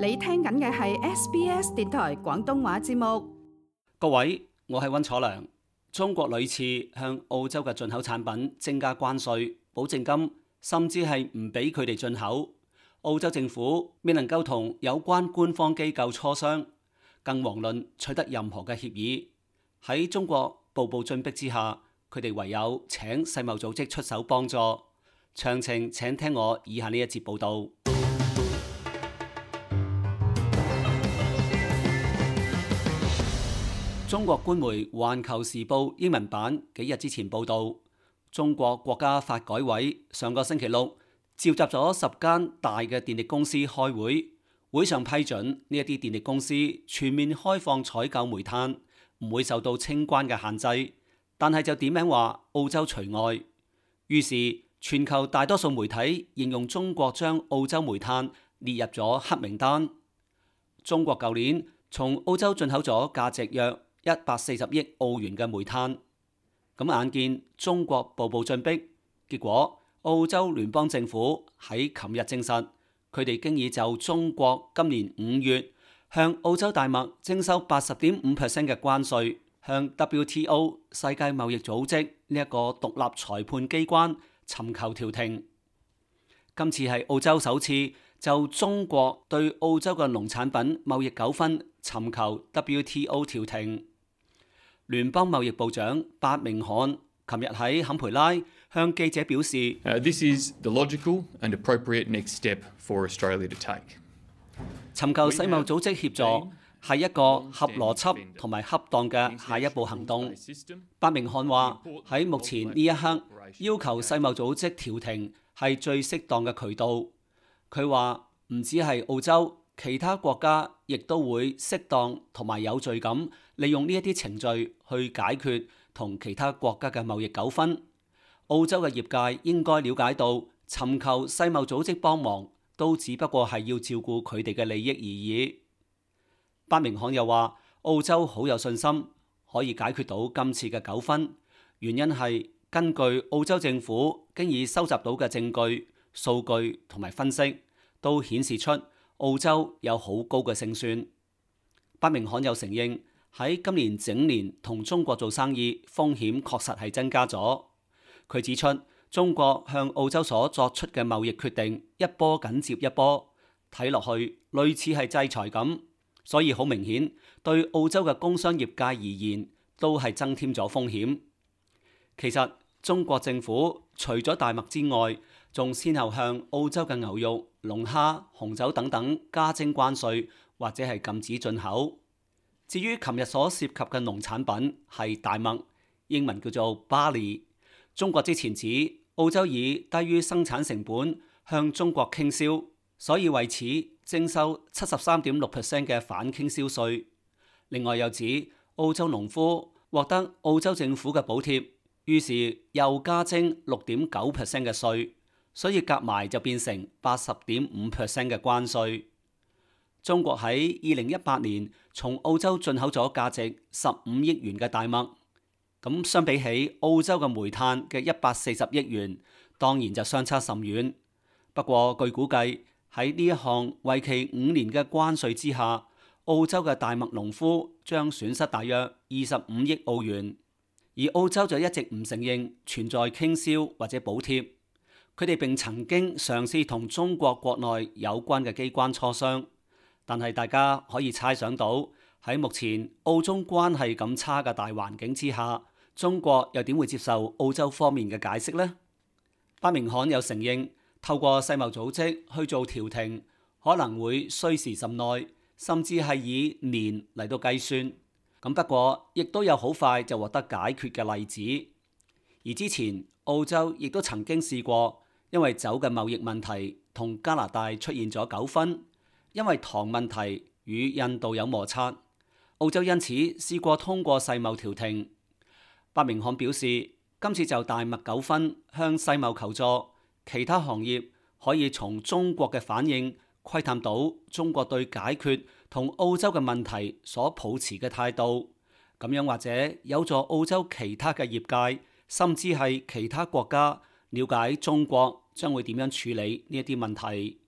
你聽緊嘅係 SBS 電台廣東話節目。各位，我係溫楚良。中國屢次向澳洲嘅進口產品增加關稅、保證金，甚至係唔俾佢哋進口。澳洲政府未能夠同有關官方機構磋商，更遑論取得任何嘅協議。喺中國步步進逼之下，佢哋唯有請世貿組織出手幫助。詳情請聽我以下呢一節報道。中國官媒《環球時報》英文版幾日之前報道，中國國家發改委上個星期六召集咗10間大嘅電力公司開會，會上批准呢一啲電力公司全面開放採購煤炭，唔會受到清關嘅限制，但係就點名話澳洲除外。於是全球大多數媒體形容中國將澳洲煤炭列入咗黑名單。中國舊年從澳洲進口咗價值約140億澳元嘅煤炭，咁眼見中國步步進逼，結果澳洲聯邦政府喺琴日證實，佢哋經已就中國今年5月向澳洲大麥徵收80.5% 嘅關稅，向 WTO 世界貿易組織呢一個獨立裁判機關尋求調停。今次係澳洲首次就中國對澳洲嘅農產品貿易糾紛尋求 WTO 調停。聯邦貿易部長白明漢琴日喺坎培拉向記者表示，This is the logical and appropriate next step for Australia to take。尋求世貿組織協助係一個合邏輯同埋恰當嘅下一步行動。白明漢話喺目前呢一刻，要求世貿組織調停係最適當嘅渠道。佢話唔止係澳洲，其他國家亦都會適當同埋有序咁利用呢一啲程序去解決同其他國家嘅貿易糾紛。澳洲嘅業界應該了解到，尋求世貿組織幫忙都只不過係要照顧佢哋嘅利益而已。白明漢又話，澳洲好有信心可以解決到今次嘅糾紛，原因係根據澳洲政府經已收集到嘅證據、數據同埋分析，都顯示出澳洲有好高嘅勝算。白明漢又承認喺今年整年同中國做生意風險確實係增加咗。佢指出，中國向澳洲所作出嘅貿易決定一波緊接一波，睇落去類似係制裁咁，所以好明顯對澳洲嘅工商業界而言都係增添咗風險。其實中國政府除咗大麥之外，仲先後向澳洲嘅牛肉、龍蝦、紅酒等等加徵關稅或者係禁止進口。至於琴日所涉及嘅農產品係大麥，英文叫做 barley。中國之前指澳洲以低於生產成本向中國傾銷，所以為此徵收73.6% 嘅反傾銷稅。另外又指澳洲農夫獲得澳洲政府嘅補貼，於是又加徵6.9% 嘅稅，所以夾埋就變成80.5% 嘅關稅。中國喺2018年從澳洲進口咗價值15億元嘅大麥，咁相比起澳洲嘅煤炭嘅140億元，當然就相差甚遠。不過據估計喺呢一項為期5年嘅關稅之下，澳洲嘅大麥農夫將損失大約25億澳元，而澳洲就一直唔承認存在傾銷或者補貼。佢哋並曾經嘗試同中國國內有關嘅機關磋商，但係大家可以猜想到喺目前澳中關係咁差嘅大環境之下，中國又點會接受澳洲方面嘅解釋呢？白明漢又承認透過世貿組織去做調停可能會需時甚耐，甚至係以年嚟到計算。咁不過亦都有好快就獲得解決嘅例子。而之前澳洲亦都曾經試過因為酒嘅貿易問題同加拿大出現咗糾紛，因為糖問題與印度有摩擦，澳洲因此試過通過世貿調停。白明漢表示，今次就大麥糾紛向世貿求助，其他行業可以從中國嘅反應窺探到中國對解決同澳洲嘅問題所抱持嘅態度，咁樣或者有助澳洲其他嘅業界，甚至係其他國家了解中國將會點樣處理呢一啲問題。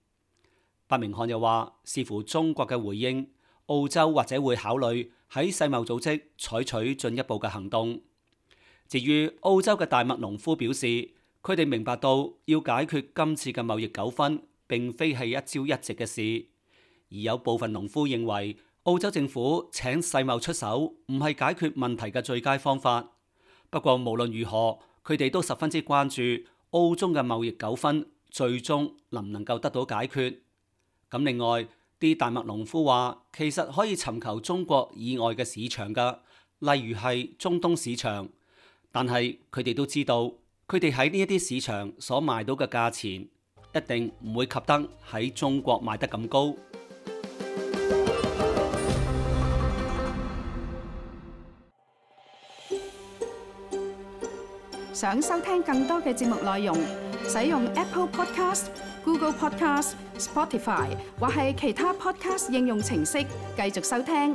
伯明翰又話，視乎中國嘅回應，澳洲或者會考慮喺世貿組織採取進一步嘅行動。至於澳洲嘅大麥農夫表示，佢哋明白到要解決今次嘅貿易糾紛並非係一朝一夕嘅事，而有部分農夫認為澳洲政府請世貿出手唔係解決問題嘅最佳方法。不過無論如何，佢哋都十分之關注澳中嘅貿易糾紛最終能唔能夠得到解決。咁另外，啲大麥農夫話，其實可以尋求中國以外嘅市場㗎，例如係中東市場。但係佢哋都知道，佢哋喺呢一啲市場所賣到嘅價錢，一定唔會及得喺中國賣得咁高。想收聽更多嘅節目內容，使用 Apple Podcast、Google Podcast、Spotify 或係其他 Podcast 應用程式繼續收聽。